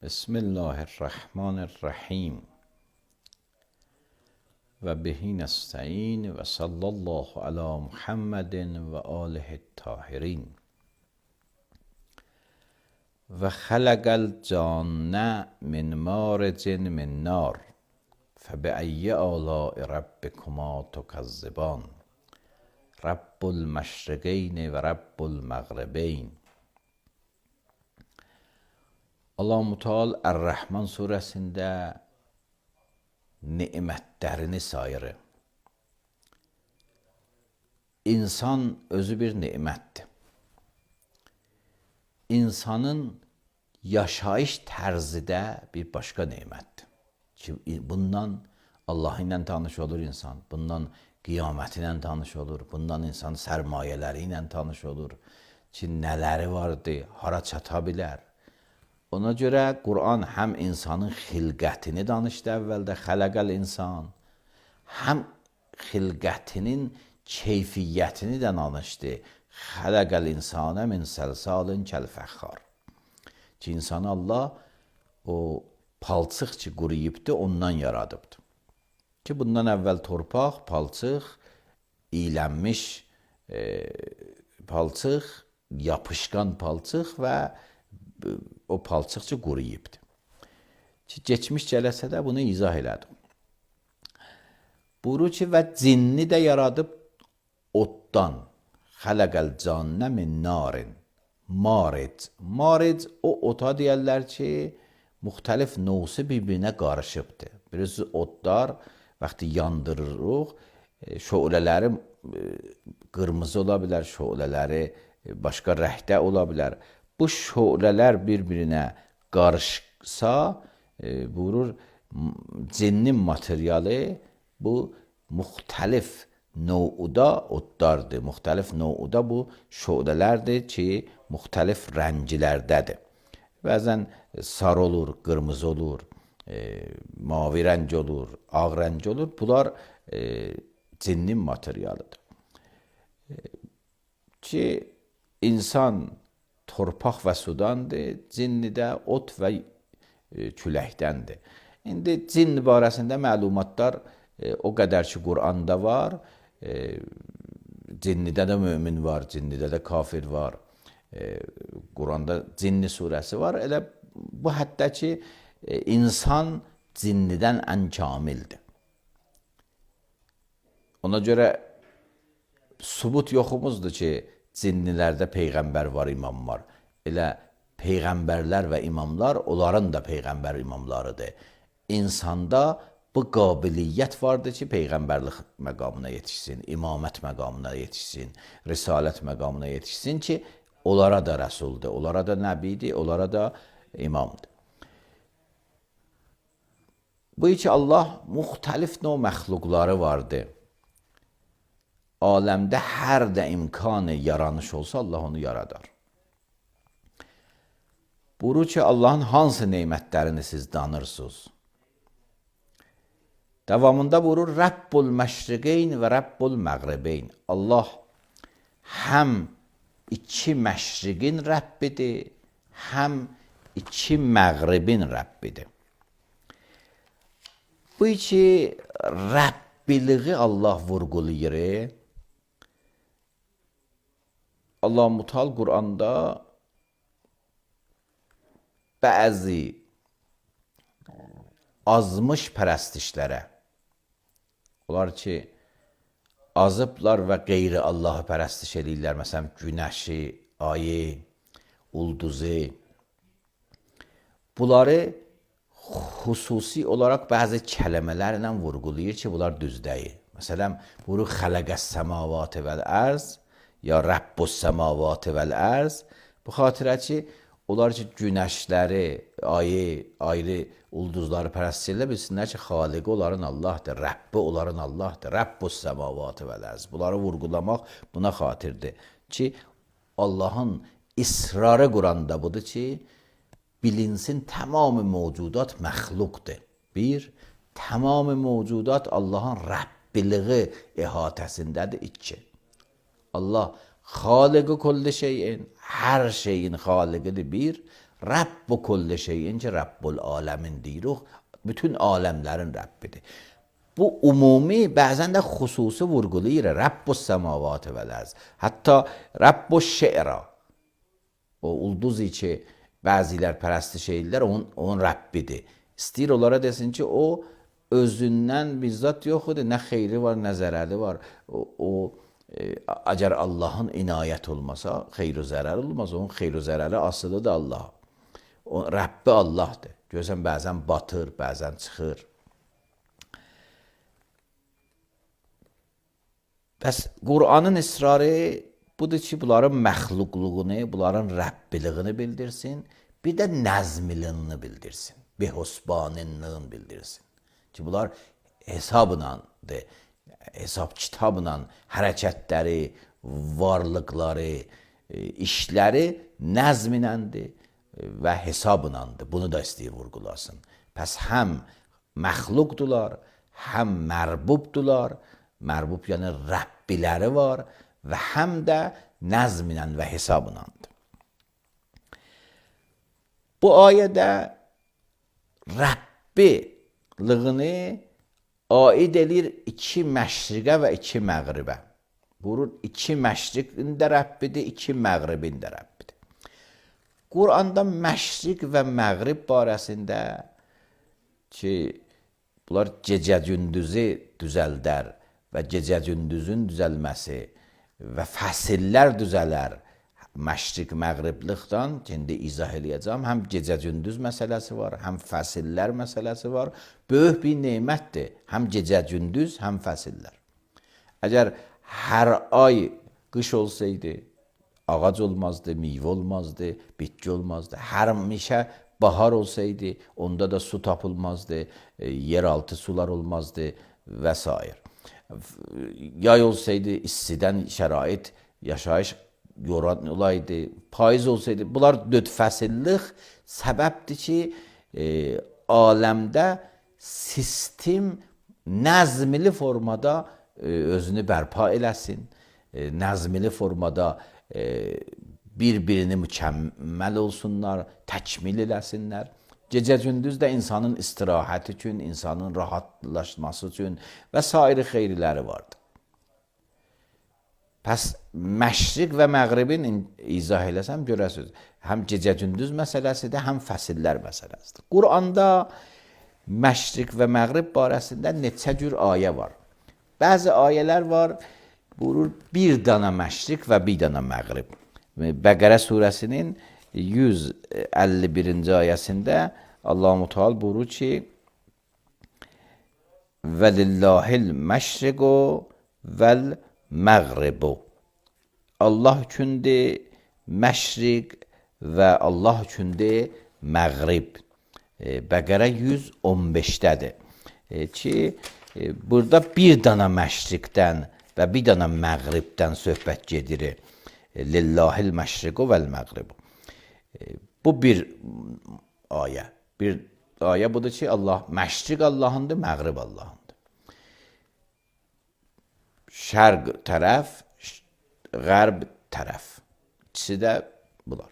بسم الله الرحمن الرحیم و بهی نستعین و صلی الله علی محمد و آله الطاهرین و خلق الجان من مارج من نار فبأی آلاء ربکما تکذبان رب المشرقین و رب المغربین. Allah-u Teala Er-Rəhman surəsində nemətlərini sayır. İnsan özü bir nemətdir. İnsanın yaşayış tərzi də bir başqa nemətdir. Ki, bundan Allah ilə tanış olur insan, bundan qiyaməti ilə tanış olur, bundan insan sərmayələri ilə tanış olur ki, nələri vardır, hara çata bilər. Ona görə Quran həm insanın xilqətini danışdı əvvəldə, xələqəl insan, həm xilqətinin keyfiyyətini də danışdı. Xələqəl insanə min səlsalin kəl-fəxxar. Ki, insanı Allah o palçıq ki, quruyubdur, ondan yaradıbdır. Ki, bundan əvvəl torpaq, palçıq, iylənmiş palçıq, yapışqan palçıq və o palçıqçı quruyubdur. Geçmiş cələsədə bunu izah elədim. Buyurur ki, və cinni də yaradıb oddan. Xələqəl cannə min narin. Maric. Maric o ota deyərlər ki, müxtəlif növsi bir-birinə qarışıbdır. Birisi odlar, vaxtı yandırırıq, şölələri qırmızı ola bilər, şölələri başqa rəhdə ola bilər. Bu şölələr bir-birinə qarışsa, buyurur, cinnin materialı bu müxtəlif növdə odlardır. Müxtəlif növdə bu şölələrdir ki, müxtəlif rənglərdədir. Bəzən sarı olur, qırmızı olur, mavi rəng olur, ağ rəng olur. Bunlar cinnin materialıdır. Ki, insan torpaq və sudandır, cinni də ot və küləkdəndir. İndi cin barəsində məlumatlar o qədər ki, Quranda var, cinnidə də mömin var, cinnidə də kafir var, Quranda cinni surəsi var. Elə bu həddə ki, insan cinnidən ən kamildir. Ona görə sübut yoxumuzdur ki, cinnilərdə peyğəmbər var, imam var. Elə peyğəmbərlər və imamlar, onların da peyğəmbər imamlarıdır. İnsanda bu qabiliyyət vardır ki, peyğəmbərlik məqamına yetişsin, imamət məqamına yetişsin, risalət məqamına yetişsin ki, onlara da rəsuldur, onlara da nəbidir, onlara da imamdır. Bu ki, Allah müxtəlif növ məxluqları vardır. Aləmdə hər də imkanı yaranış olsa, Allah onu yaradar. Buyurur ki, Allahın hansı neymətlərini siz danırsınız? Davamında buyurur, Rəbbul məşriqeyn və Rəbbul məğribeyn. Allah həm iki məşriqin Rəbbidir, həm iki məğribin Rəbbidir. Bu ki, Rəbbiliği Allah vurğulayır. Allah-u Teala Quranda bəzi azmış pərəstişlərə, onlar ki, azıblar və qeyri Allahı pərəstiş edirlər, məsələn, günəşi, ayı, ulduzu, bunları xüsusi olaraq bəzi kələmələrlə vurğulayır ki, bunlar düz deyil. Məsələn, buyurur, xələqəs səmavatı vəl-ərz, ya Rəbbus səmavatı vəl-ərz. Bu xatirə ki, onlar ki, günəşləri, ayı, ayrı ulduzları pərəst edirlər, bilsinlər ki, xaliqi onların Allahdır, Rəbbi onların Allahdır, Rəbbus səmavatı vəl-ərz. Bunları vurğulamaq buna xatirdir ki, Allahın israrı Quranda budur ki, bilinsin tamamı mövcudat məxluqdur. Bir, tamamı mövcudat Allahın Rəbbiliği əhatəsindədir. İki, Allah xaliqi kulli şeyin, hər şeyin xaliqidir. Bir, Rəbb kulli şeyin ki, Rəbbul aləmin deyirik, bütün aləmlərin Rəbbidir. Bu umumi, bəzən də xüsusi vurğulayır. Rəbbus səmavat vəl-ərz. Hətta Rəbbus şe'ra. O ulduz ki, bəzilər pərəstiş edirlər, onun Rəbbidir. İstəyir onlara desin ki, o özündən bizzat yoxdur, nə xeyri var, nə zərəri var. Əgər Allahın inayət olmasa, xeyr-i zərər olmaz. Onun xeyr-i zərəri asılıdır Allah. O Rəbbi Allahdır. Görürsən, bəzən batır, bəzən çıxır. Bəs Qur'anın israrı budur ki, bunların məxluqluğunu, bunların Rəbbiliyini bildirsin, bir də nəzmiliyini bildirsin, behusbaniliyini bildirsin. Ki, bunlar hesabınandır, hesab kitabla hərəkətləri, varlıqları, işləri nəzminəndir və hesabınandır. Bunu da istəyir vurğulasın. Pəs həm məxluqdular, həm mərbubdular, mərbub yəni Rəbbiləri var və həm də nəzminən və hesabınandır. Bu ayədə Rəbbiliyini aid edir iki məşriqə və iki məğribə. Buyurur, iki məşriqin də Rəbbidir, iki məğribin də Rəbbidir. Qur'anda məşriq və məğrib barəsində ki, bunlar gecə-gündüzü düzəldər və gecə-gündüzün düzəlməsi və fəsillər düzələr. Məşriq məğribliqdən indi izah eləyəcəm. Həm gecə-gündüz məsələsi var, həm fəsillər məsələsi var. Böyük bir nemətdir. Həm gecə-gündüz, həm fəsillər. Əgər hər ay qış olsaydı, ağac olmazdı, meyvə olmazdı, bitki olmazdı. Həmişə bahar olsaydı, onda da su tapılmazdı, yeraltı sular olmazdı və s. Yay olsaydı, istidən şərait, yaşayış yoran olaydı, payız olsaydı. Bunlar dörd fəsillik səbəbdir ki, aləmdə sistem nəzmli formada özünü bərpa eləsin, nəzmli formada bir-birini mükəmməl olsunlar, təkmil eləsinlər. Gecə-gündüz də insanın istirahəti üçün, insanın rahatlaşması üçün və sair xeyirləri vardır. Pəs məşriq və məğribin izah eləsəm görəsiniz. Həm gecə-gündüz məsələsidir, həm fəsillər məsələsidir. Qur'anda məşriq və məğrib barəsində neçə cür ayə var. Bəzi ayələr var, buyurur, bir dana məşriq və bir dana məğrib. Bəqərə surəsinin 151-ci ayəsində Allah-u Teala buyurur ki, vəlillahil məşriqu vəl məğribu. Allah üçündür məşriq və Allah üçündür məğrib. Bəqərə 115-dədir. Ki, burada bir dana məşriqdən və bir dana məğribdən söhbət gedir. Lillahil məşriqu vəl məğribu. Bu bir ayə. Bir ayə budur ki, Allah məşriq Allahındır, məğrib Allahındır. Şərq tərəf, qərb tərəf. İkisi də bunlar.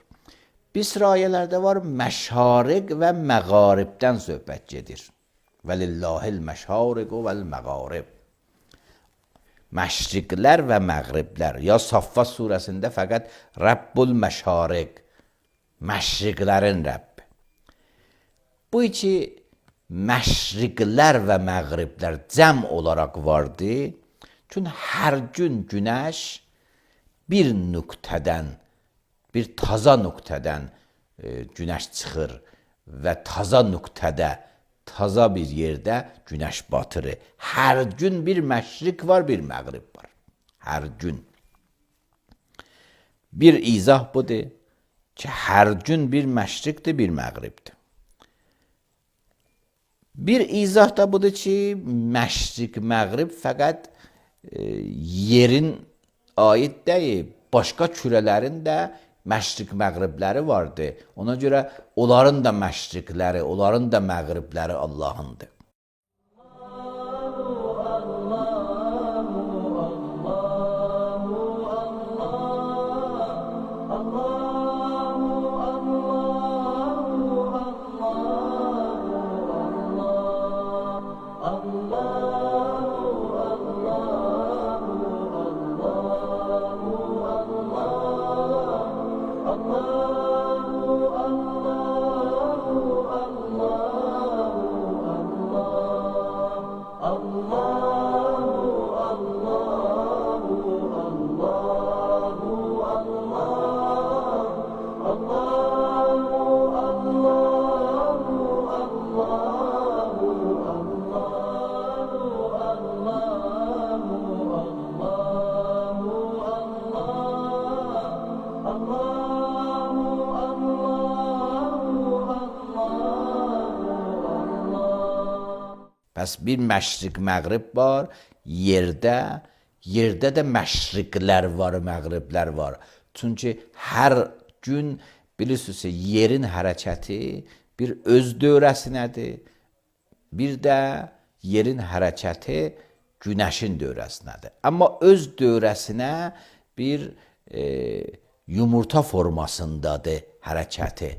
Bir sıra ayələrdə var, məşariq və məğaribdən söhbət gedir. Vəlillahil məşariqu vəl məğarib. Məşriqlər və məğriblər. Ya Saffat surəsində fəqət Rəbbul məşariq, məşriqlərin Rəbbi. Bu iki məşriqlər və məğriblər cəm olaraq vardı. Çünki hər gün günəş bir nöqtədən, bir taza nöqtədən günəş çıxır və taza nöqtədə, taza bir yerdə günəş batırır. Hər gün bir məşriq var, bir məğrib var. Hər gün. Bir izah budur ki, hər gün bir məşriqdir, bir məğribdir. Bir izah da budur ki, məşriq, məğrib fəqət yerin aid deyil, başqa kürələrin də məşriq məğribləri vardı. Ona görə onların da məşriqləri, onların da məğribləri Allahındır. Pəs bir məşriq, məğrib var yerdə. Yerdə də məşriqlər var, məğriblər var. Çünki hər gün bilirsiniz, yerin hərəkəti bir öz dövrəsinədir. Bir də yerin hərəkəti günəşin dövrəsinədir. Amma öz dövrəsinə bir yumurta formasındadır hərəkəti.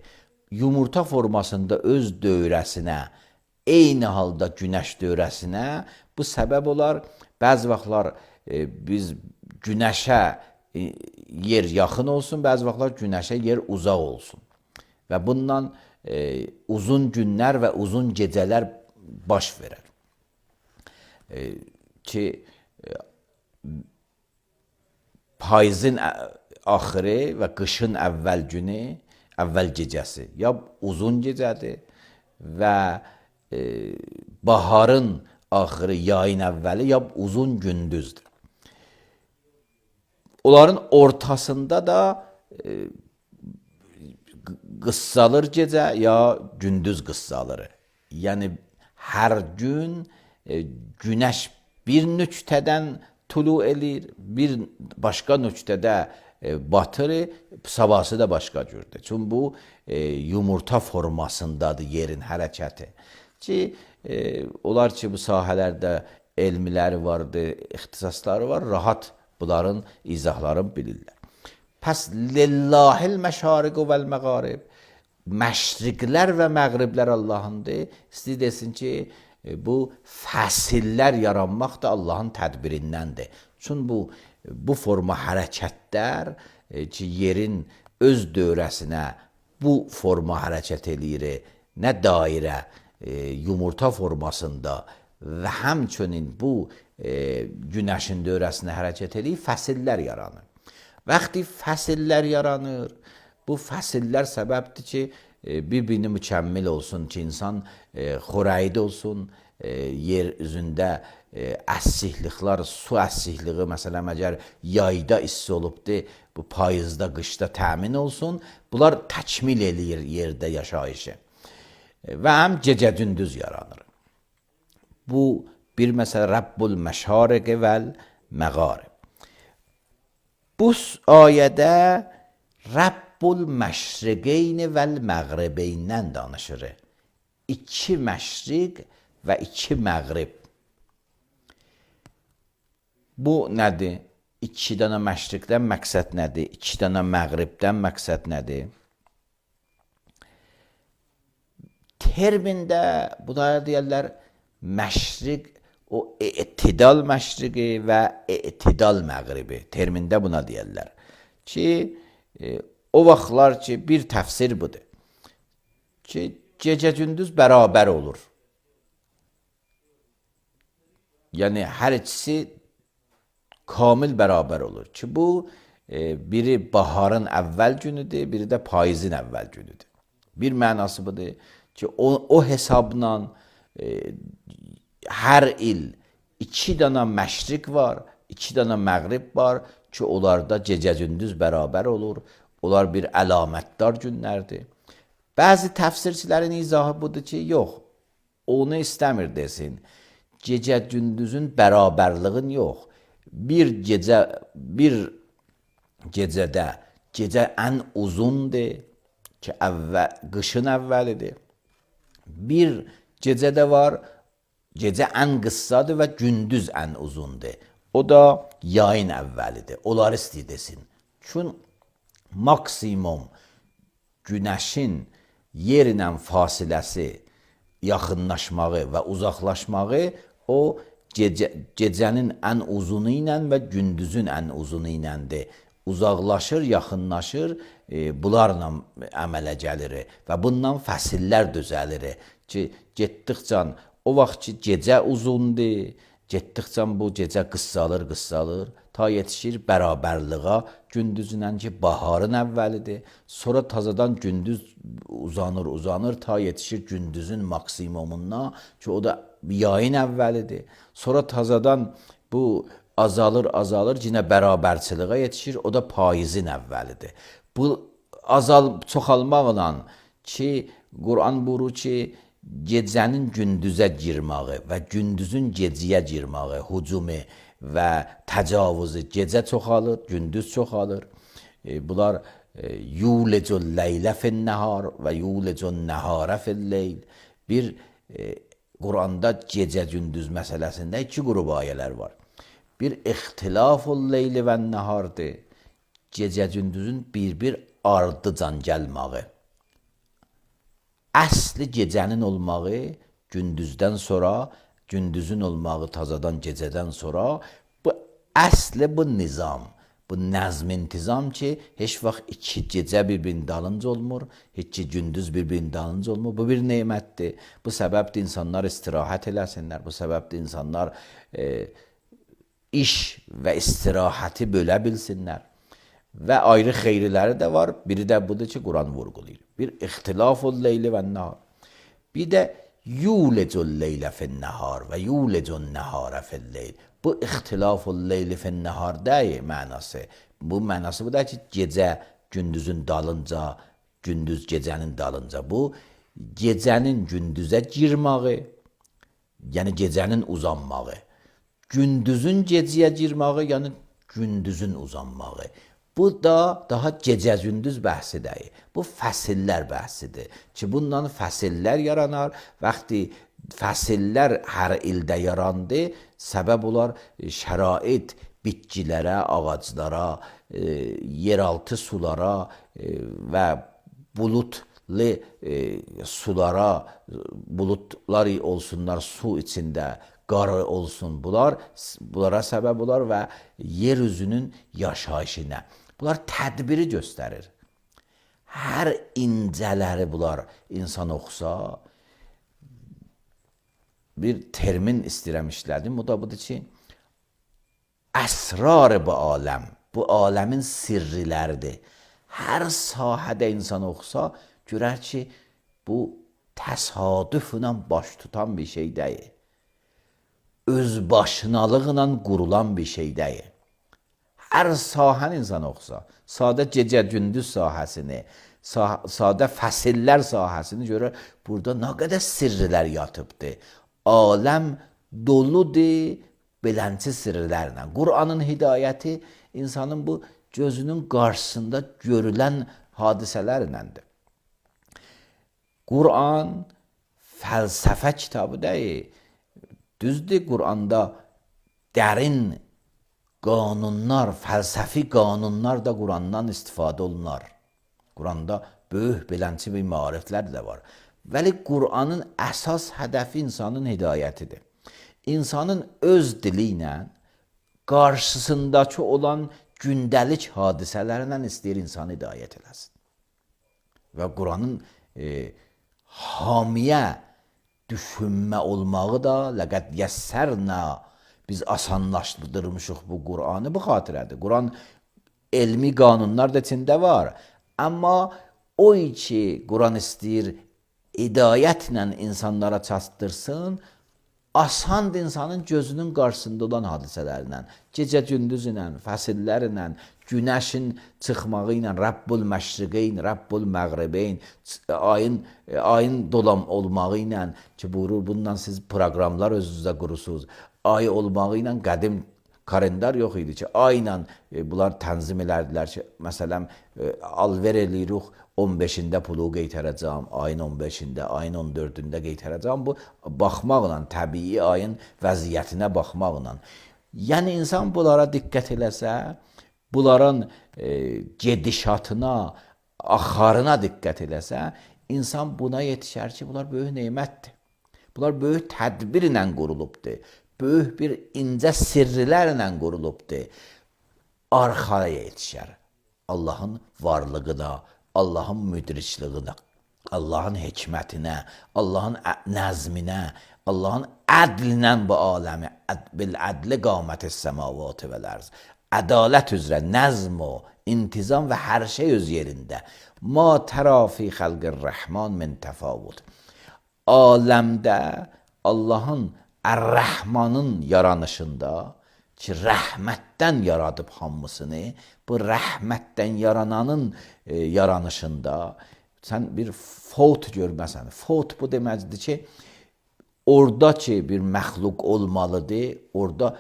Yumurta formasında öz dövrəsinə, eyni halda günəş dövrəsinə bu səbəb olar. Bəzi vaxtlar biz günəşə yer yaxın olsun, bəzi vaxtlar günəşə yer uzaq olsun. Və bundan uzun günlər və uzun gecələr baş verər. Ki payızın axırı və qışın əvvəl günü, əvvəl gecəsi ya uzun gecədir və baharın axırı, yayın əvvəli ya uzun gündüzdür. Onların ortasında da qıssalır gecə ya gündüz qıssalır. Yəni hər gün günəş bir nöqtədən tulu elir, bir başqa nöqtədə batır, sabahsı da başqa cürdür. Çünki bu yumurta formasındadır yerin hərəkəti. Ki olar ki bu sahələrdə elmiləri vardır, ixtisasları var, rahat bunların izahlarını bilirlər. Pəs lillahil məşariqu vəl məğarib. Məşriqlər və məğriblər Allahındır. İstəyir desin ki, bu fəsillər yaranmaq da Allahın tədbirindəndir. Çünki bu forma hərəkətlər ki, yerin öz dövrəsinə bu forma hərəkət eləyir, nə dairə, yumurta formasında və həmçinin bu günəşin dövrəsinə hərəkət eləyir, fəsillər yaranır. Vaxtı fəsillər yaranır, bu fəsillər səbəbdir ki, bir-birini mükəmmil olsun ki, insan xorəyid olsun, yer üzündə əssikliklər, su əssikliyi, məsələn, əgər yayda isti olubdur, bu payızda, qışda təmin olsun, bunlar təkmil eləyir yerdə yaşayışı. Və həm gecə-gündüz yaranır. Bu bir məsələ Rabbul məşariqi vəl məğarib. Bu ayədə Rabbul məşriqeyni vəl məğribeyndən danışır. İki məşriq və iki məğrib. Bu nədir? İki dənə məşriqdən məqsəd nədir? İki dənə məğribdən məqsəd nədir? Termində buna deyərlər məşriq, o etidal məşriqi və etidal məğribi. Termində buna deyərlər. Ki o vaxtlar ki bir təfsir budur. Ki gecə-gündüz bərabər olur. Yəni hər ikisi kamil bərabər olur. Ki bu biri baharın əvvəl günüdür, biri də payızın əvvəl günüdür. Bir mənası budur ki o hesabla hər il iki dənə məşriq var, iki dənə məğrib var ki, onlarda gecə-gündüz bərabər olur. Onlar bir əlamətdar günlərdir. Bəzi təfsirçilərin izahı budur ki, yox, onu istəmir desin. Gecə-gündüzün bərabərliğin yox. Bir gecədə gecə ən uzundur ki, qışın əvvəlidir. Bir gecədə var, gecə ən qıssadır və gündüz ən uzundur. O da yayın əvvəlidir. Onlar istəyir desin. Çünki maksimum günəşin yerlə fasiləsi, yaxınlaşmağı və uzaqlaşmağı o gecənin ən uzunu ilə və gündüzün ən uzunu iləndir. Uzaqlaşır, yaxınlaşır, bunlarla əmələ gəlir və bundan fəsillər düzəlir ki, getdikcə o vaxt ki, gecə uzundur, getdikcə bu gecə qıssalır, ta yetişir bərabərliğə gündüzünlə ki, baharın əvvəlidir. Sonra tazadan gündüz uzanır, ta yetişir gündüzün maksimumuna ki, o da yayın əvvəlidir. Sonra tazadan bu azalır, yenə bərabərçiliğə yetişir, o da payızın əvvəlidir. Bu çoxalmaqla ki, Quran buyurur ki, gecənin gündüzə girməyi və gündüzün gecəyə girməyi, hücumu və təcavüzü gecə çoxalır, gündüz çoxalır. Bunlar yulecul leylə fin-nəhar və yulecun nəhara fil-leyl. Bir Quranda gecə gündüz məsələsində iki qrup ayələr var. Bir ixtilaful leyli və nəhardır. Gecə gündüzün bir ardıcan gəlməyi. Əsli gecənin olmağı gündüzdən sonra, gündüzün olmağı tazadan gecədən sonra, bu əsli bu nizam, bu nəzm-intizam ki, heç vaxt iki gecə bir-birinin dalınca olmur, heç gündüz bir-birinin dalınca olmur. Bu bir nemətdir. Bu səbəbdir insanlar istirahət eləsinlər. Bu səbəbdir insanlar iş və istirahəti bölə bilsinlər. Və ayrı xeyriləri də var. Biri də budur ki, Quran vurğulayır. Bir ixtilaful leyli və nəhar. Bir də yulecul leylə fin-nəhar və yulecun nəhara fil-leyl. Bu ixtilaful leyli fin-nəhar deyil mənası. Bu mənası bu da ki, gecə gündüzün dalınca, gündüz gecənin dalınca. Bu gecənin gündüzə girməyi, yəni gecənin uzanmağı. Gündüzün gecəyə girməyi, yəni gündüzün uzanmağı. Bu da daha gecə-gündüz bəhsi deyil. Bu fəsillər bəhsidir. Ki, bundan fəsillər yaranar. Vaxtı fəsillər hər ildə yarandı, səbəb olar şərait bitkilərə, ağaclara, yeraltı sulara və bulutlu sulara, bulutlar olsunlar su içində, qarı olsun, bunlara səbəb olar və yer üzünün yaşayışına. Bunlar tədbiri göstərir. Hər incələri bunlar insan oxusa, bir termin istəyirəm işlədim, o da budur ki, əsrar bu aləm, bu aləmin sirriləridir. Hər sahədə insan oxusa, görər ki, bu təsadüflə baş tutan bir şey deyil. Özbaşınalıqla qurulan bir şey deyil. Hər sahəni insan oxusa, sadə gecə-gündüz sahəsini, sadə fəsillər sahəsini görür, burada nə qədər sirrilər yatıbdır. Aləm doludur belənçi sirrlərlə. Qur'anın hidayəti insanın bu gözünün qarşısında görülən hadisələrləndir. Qur'an fəlsəfə kitabı deyil. Düzdür, Qur'anda dərin qanunlar, fəlsəfi qanunlar da Qur'andan istifadə olunar. Qur'anda böyük belənçi bir maariflər də var. Vəli Qur'anın əsas hədəfi insanın hidayətidir. İnsanın öz dili ilə qarşısındakı olan gündəlik hadisələrlə istəyir insanı hidayət eləsin. Və Qur'anın hamiyə düşünmə olmağı da ləqəd yəssərnə, biz asanlaşdırmışıq bu Qur'anı bu xatirədir. Qur'an elmi qanunlar da içində var. Amma o ki, Qur'an istəyir hidayətlə insanlara çatdırsın, asandır insanın gözünün qarşısında olan hadisələrlə, gecə-gündüz ilə, fəsillərlə, günəşin çıxmağı ilə, Rəbbul məşriqeyn, Rəbbul məğribeyn, ayın dolam olmağı ilə ki, buyurur, bundan siz proqramlar özünüzdə qurursunuz. Ay olmağı ilə qədim kalendar yox idi ki, ayla bunlar tənzim elədilər ki, məsələn, alver eləyirik, 15-də pulu qeytərəcəm, ayın 15-də, ayın 14-də qeytərəcəm. Bu, baxmaqla, təbii ayın vəziyyətinə baxmaqla. Yəni, insan bunlara diqqət eləsə, bunların gedişatına, axarına diqqət eləsə, insan buna yetişər ki, bunlar böyük neymətdir. Bunlar böyük tədbirlə qurulubdur. Böyük bir incə sirrilərlə qurulubdur. Arxaya yetişər. Allahın varlığına, Allahın müdricliyinə, Allahın hikmətinə, Allahın nəzminə, Allahın ədlinə bu aləmi, bil ədli qamətis səmavatı vəl-ərz. Ədalət üzrə nəzm o, intizam və hər şey öz yerində. Ma tərafi xəlqir rəhman min təfavut. Aləmdə Allahın Ər-Rəhmanın yaranışında ki, rəhmətdən yaradıb hamısını, bu rəhmətdən yarananın yaranışında sən bir fot görməsən. Fot bu deməkdir ki, orada ki bir məxluq olmalıdır, orada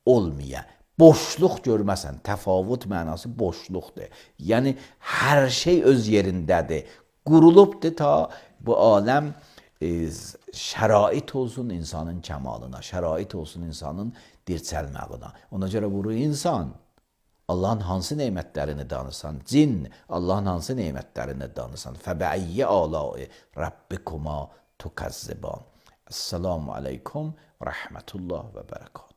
olmayan. Boşluq görməsən. Təfavut mənası boşluqdur. Yəni hər şey öz yerindədir. Qurulubdur ta bu aləm şərait olsun insanın kəmalına, şərait olsun insanın dirçəlməyinə. Ona görə bu insan Allahın hansı nemətlərini danırsan, cin Allahın hansı nemətlərini danırsan. Fəbəiyyə alai Rabbikuma tukazziban. Esselamu aleykum və rəhmətullah və bərəkət.